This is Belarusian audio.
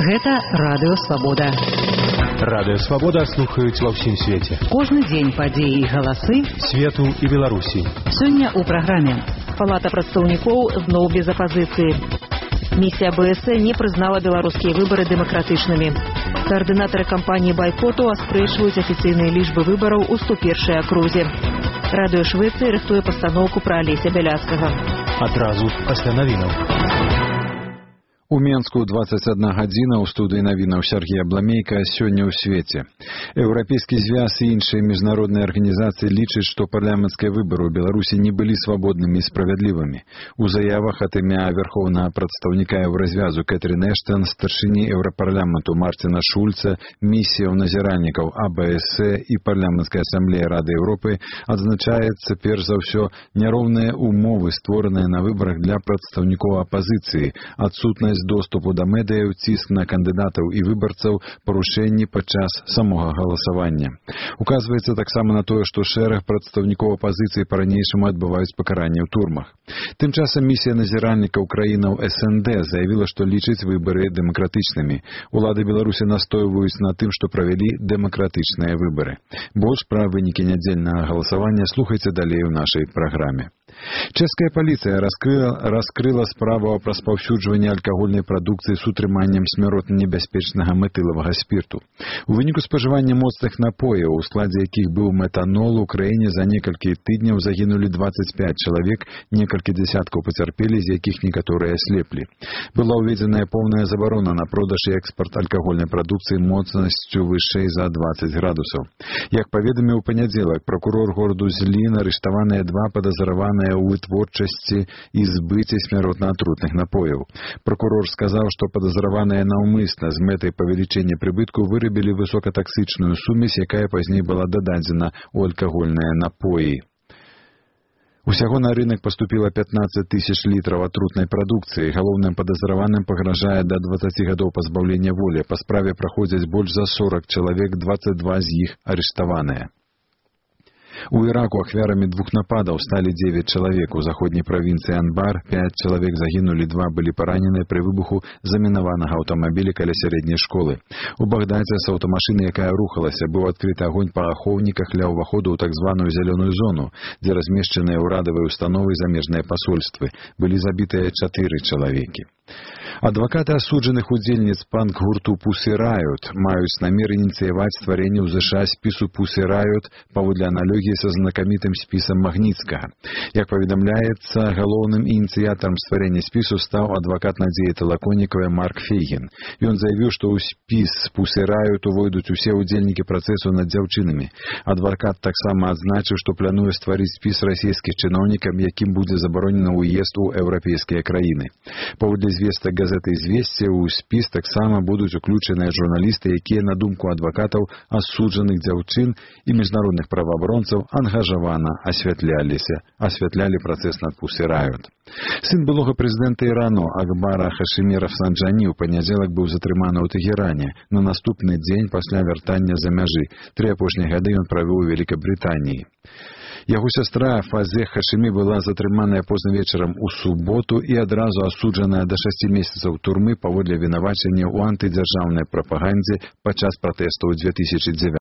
Гэта Радыё Свабода. Радыё Свабода слухаюць ва ўсім свеце. Кожны дзень падзеі і галасы свету і Беларусі. Сёння ў праграме. Палата прадстаўнікоў зноў без апазіцыі. Місія БС не прызнала беларускія выбары дэмакратычнымі. Каардынатары кампаніі байкоту аспрэчваюць афіцыйныя лічбы выбараў у 101-й акрузе. Радыё Швецыі рыхтуе пастаноўку пра Алеся Бяляцкага. Адразу пасля навінаў. У Менску 21 гадзіна, у студыі навінаў Сергія Бламейка, сёння ў свеце. Еўрапейскі звяз і іншыя міжнародныя арганізацыі лічаць, што парламенцкія выбары ў Беларусі не былі свабоднымі і справядлівымі. У заявах ад імя вярхоўнага прадстаўніка Еўразвязу Кэтрін Эштон, старшыні Еўрапарламенту Марціна Шульца, місіяў назіральнікаў АБС і парламенцкай асамблеі Рады Еўропы адзначаецца перш за ўсё няроўныя умовы, створаныя на выбарах для прадстаўнікоў апазіцыі, адсутнасць доступу да медыяў, ціск на кандыдатаў і выбарцаў, парушэнні падчас самога галасавання. Указваецца таксама на тое, што шэраг прадстаўнікоў апазіцыі па-ранейшаму адбываюць пакаранне ў турмах. Тым часам місія назіральнікаў краінаў СНД заявіла, што лічыць выбары дэмакратычнымі. Улады Беларусі настойваюць на тым, што правялі дэмакратычныя выбары. Больш пра вынікі нядзельнага галасавання слухайце далей у нашай праграме. Чэшская паліцыя раскрыла справу о распаўсюджванні алкагольнай прадукцыі з утрыманнем смяротна небяспечнага метылавага спірту. У выніку спажывання моцных напояў, у складзе якіх быў метанол, у краіне за некалькі тыдняў загінулі 25 чалавек, некалькі дзясяткаў пацярпелі, з якіх некаторыя аслеплі. Была ўведзеная поўная забарона на продаж і экспарт алкагольнай прадукцыі моцнасцю вышэй за 20 градусаў. Як паведаміў у панядзелак пракурор гораду Злін, арыштаваныя два падазраваныя ў вытворчасці і збыце смяротна атрутных напояў. Прокурор сказаў, што падазраваныя наўмысна з мэтай павелічэння прыбытку вырабілі высокатаксычную сумесь, якая пазней была дададзена ў алкагольныя напоі. Усяго на рынок поступило 15 тысяч літраў атрутнай прадукцыі. Галоўным падазраваным пагражае да 20 гадоў пазбаўлення волі. Па справе праходзяць больш за 40 чалавек, 22 з іх арыштаваныя. У Іраку ахвярамі двух нападаў сталі 9 чалавек. У заходняй правінцыі Анбар 5 чалавек загінулі, 2 былі параненыя пры выбуху замінаванага аўтамабіля каля сярэдняй школы. У Багдадзе з аўтамашыны, якая рухалася, быў адкрыты агонь па ахоўніках ля ўваходу ў так званую зялёную зону, дзе размешчаныя ўрадавыя установы і замежныя пасольствы. Былі забітыя 4 чалавекі. Адвакаты асуджаных удзельніц панк-гурту Pussy Riot маюць намер ініцыяваць стварэнне ў ЗША спісу Pussy Riot паводле аналогіі са знакамітым спісам Магніцкага. Як паведамляецца, галоўным ініцыятарам стварэння спісу стаў адвакат Надзеі Талаконікавай Марк Фейгін. Ён заявіў, што ў спіс Pussy Riot увойдуць усе ўдзельнікі працэсу над дзяўчынамі. Адвакат таксама адзначыў, што плануе стварыць спіс расійскіх чыноўнікам, якім будзе забаронена ўезд у еўрапейскія краіны. Паводле звестак газеты «Известия» у спіс таксама будуць уключаныя журналісты, якія, на думку адвакатаў, асуджаных дзяўчын і міжнародных праваабаронцаў ангажавана асвятлялі працэс над Pussy Riot. Сын былога прэзідэнта Ірану Акбара Хашимі Рафсанджані ў панядзелак быў затрыманы ў Тэгеране на наступны дзень пасля вяртання за мяжы. 3 апошнія гады ён правёў у Вялікабрытаніі. Яго сястра Фазе Хашимі была затрыманая позна вечарам у суботу і адразу асуджаная да 6 месяцаў турмы паводле вінавачання ў антыдзяржаўнай прапагандзе падчас пратэстаў 2009